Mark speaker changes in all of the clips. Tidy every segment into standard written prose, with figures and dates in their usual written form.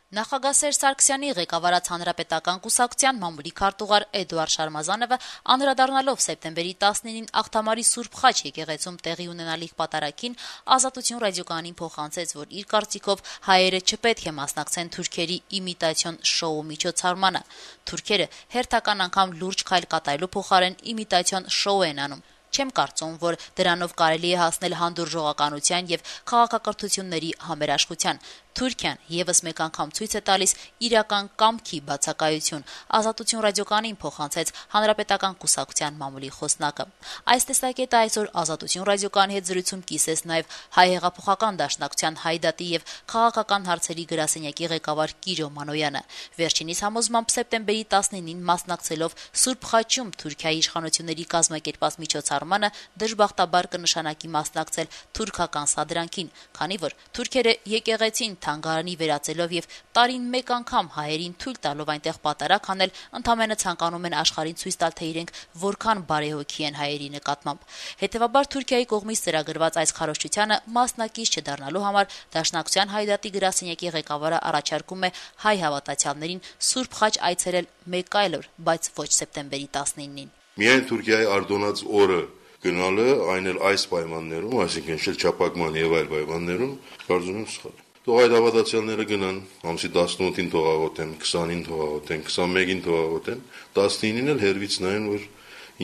Speaker 1: Նախագահ Սերժ Սարգսյանի ղեկավարած Հանրապետական կուսակցության մամուլի քարտուղար Էդուարդ Շարմազանովը անդրադառնալով սեպտեմբերի 19-ին Աղթամարի Սուրբ Խաչ եկեղեցում տեղի ունենալիք պատարագին Ազատություն ռադիոկայանին փոխանցեց, որ իր կարծիքով հայերը չպետք է մասնակցեն թուրքերի իմիտացիոն շոու միջոցառմանը։ Թուրքերը հերթական անգամ լուրջ քայլ կատարելու փոխարեն իմիտացիոն շոու են անում։ Չեմ կարծում, որ դրանով կարելի է հասնել հանդուրժողականության եւ քաղաքակրթությունների համերաշխության։ Թուրքիան եւս մեկ անգամ ցույց է տալիս իրական կամքի բացակայություն, Ազատություն ռադիոկայանին փոխանցեց Հանրապետական կուսակցության մամուլի խոսնակը։ Այս տեսակետը այսօր Ազատություն ռադիոկայանի հետ զրույցում կիսեց նաեւ Հայ հեղափոխական դաշնակցության Հայդատի եւ քաղաքական հարցերի գրասենյակի ղեկավար Կիրո Մանոյանը։ Վերջինիս համոզմամբ սեպտեմբերի 19-ին մասնակցելով Սուրբ Խաչում Թուրքիայի իշխանությունների կազմակերպած միջոցառմանը դժբախտաբար կնշանակի մասնակցել թուրքական սադրանքին, քանի որ թուրքերը եկեղեցին թանգարանի վերածելով եւ տարին մեկ անգամ հայերին թույլ տալով այնտեղ պատարագ անել, ընդամենը ցանկանում են աշխարհին ցույց տալ, թե իրենք որքան բարեհոգի են հայերի նկատմամբ։ Հետևաբար Թուրքիայի կողմից ծրագրված այս քարոզչությանը մասնակից չդառնալու համար Դաշնակցության Հայդատի գրասենյակի ղեկավարը առաջարկում է հայ հավատացյալներին Սուրբ Խաչ այցելել մեկ այլ օր, բայց ոչ սեպտեմբերի 19-ին։
Speaker 2: Միայն Թուրքիայի արդոնած օրը գնալը, այն էլ այս պայմաններում, այսինքն շրջափակման եւ այլ պայմաններում, կարծում եմ սխալ է։ Թող այդ հավատացյալները գնան, ամսի 18-ին թողաղոտեն, 20-ին թողաղոտեն, 21-ին թողաղոտեն, 19-ին էլ հերվից նայեն, որ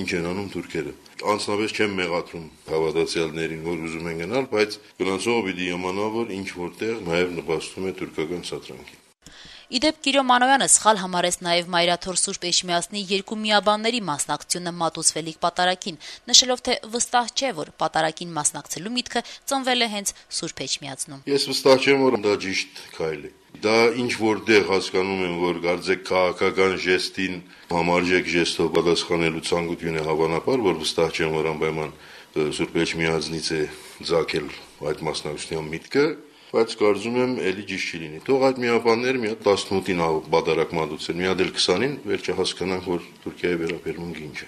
Speaker 2: ինչ են անում թուրքերը։ Անձնապես չեմ մեղադրում հավատացյալներին, որ ուզում են գնալ, բայց գնացողը պիտի իմանա, որ ինչ որտեղ նաև նպաստում է թուրքական սադրանքին։
Speaker 1: Իդեպ Կիրո Մանոյանը սխալ համարեց նաև Մայրաթոր Սուրբ Էջմիածնի երկու միաբանների մասնակցությունը մատուցվելիք պատարագին, նշելով, թե վստահ չէ, որ պատարագին մասնակցելու միտքը ծնվել է հենց Սուրբ Էջմիածնում։
Speaker 2: Ես վստահ չեմ, որ դա ճիշտ քայլ է։ Դա ինչ որտեղ հասկանում եմ, որ կարծեք քաղաքական ժեստին համարժեք ժեստով պատասխանելու ցանկություն է հավանաբար, որ վստահ չեմ, որ անպայման Սուրբ Էջմիածնից է ծագել այդ մասնակցության միտքը, բայց կարծում եմ էլի ճիշտ չի լինի։ Թող այդ միաբանները մի հատ 18-ին պատարագ մատուցեն, մի հատ էլ 20-ին, վերջը հասկանանք, որ Թուրքիայի վերաբերմունքը ինչ է։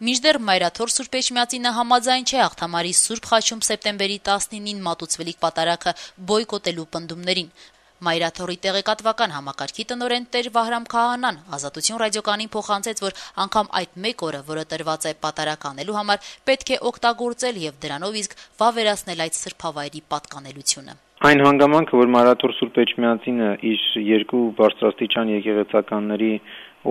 Speaker 1: Մինչդեռ Մայրաթոր Սուրբ Էջմիածինը համաձայն չէ Աղթամարի Սուրբ Խաչում սեպտեմբերի 19-ին մատուցվելիք պատարագը բոյկոտելու պնդումներին։ Մայրաթորի տեղեկատվական համակարգի տնօրեն Տեր Վահրամ Քահանան Ազատություն ռադիոկայանին փոխանցեց, որ անգամ այդ մեկ օրը, որը տրված է պատարագ անելու համար, պետք է օգտագործել եւ դրանով իսկ վավերացնել այդ սրբավայրի պատկանելությունը։
Speaker 3: Այն հանգամանքը, որ Մայրաթոր Սուրբ Էջմիածինը իր երկու բարձրաստիճան եկեղեցականների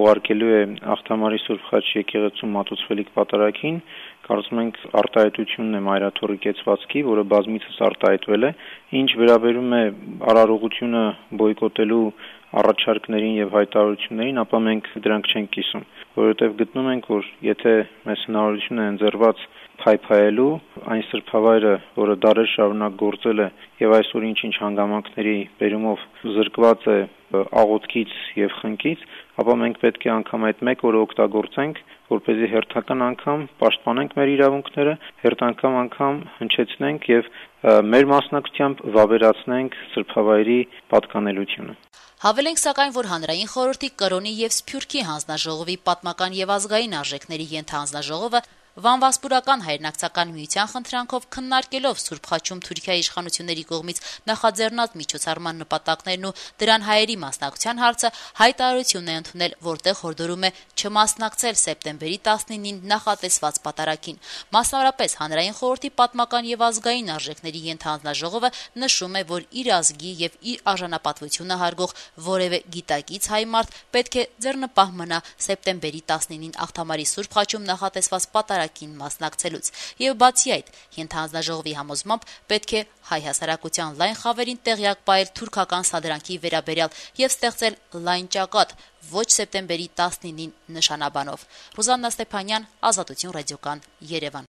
Speaker 3: ուղարկելու է Աղթամարի Սուրբ Խաչ եկեղեցում մատուցվելիք պատարագին, կարծում ենք արտահայտությունն է Մայրաթորի կեցվածքի, որը բազմիցս արտահայտվել է, ինչ վերաբերում է արարողությունը բոյկոտելու առաջարկներին եւ հայտարարություններին, ապա մենք դրանք չենք կիսում, որովհետեւ գտնում ենք, որ եթե մեզ հնարավորություն է ընձեռված փայփայելու այն սրբավայրը, որը դարեր շարունակ գործել է եւ այսօր ինչ-ինչ հանգամանքների բերումով զրկված է աղոթքից եւ խնկից, ապա մենք պետք է անգամ այդ մեկ օրը օգտագործենք, որպեսզի հերթական անգամ պաշտպանենք մեր իրավունքները, հերթական անգամ հնչեցնենք եւ մեր մասնակցությամբ վավերացնենք սրբավայրի պատկանելությունը։
Speaker 1: Հավելենք սակայն, որ Հանրային խորհրդի Կրոնի եւ Սփյուռքի հանձնաժողովի պատմական եւ ազգային արժեքների ենթահանձնաժողովը Վանվասպուրական հայրենակցական միության խնդրանքով քննարկելով Սուրբ Խաչում Թուրքիայի իշխանությունների կողմից նախաձեռնած միջոցառման նպատակներն ու դրան հայերի մասնակցության հարցը հայտարարություն է ընդունել, որտեղ հորդորում է չմասնակցել սեպտեմբերի 19-ին նախատեսված պատարագին։ Մասնավորապես Հանրային խորհրդի պատմական եւ ազգային արժեքների ենթահանձնաժողովը նշում է, որ իր ազգի եւ իր արժանապատվությունը հարգող որևէ գիտակից հայ մարդ պետք է ձեռնպահ մնա սեպտեմբերի 19-ին Աղթամարի Սուրբ Խաչում նախատեսված պատարագին մասնակցելուց եւ բացի այդ ենթահանձնաժողովի համոզմամբ պետք է հայ հասարակության լայն խավերին տեղյակ պահել թուրքական սադրանքի վերաբերյալ եւ ստեղծել լայն ճակատ ոչ սեպտեմբերի 19-ին նշանաբանով։ Ռուզաննա Ստեփանյան, Ազատություն ռադիոկան, Երևան։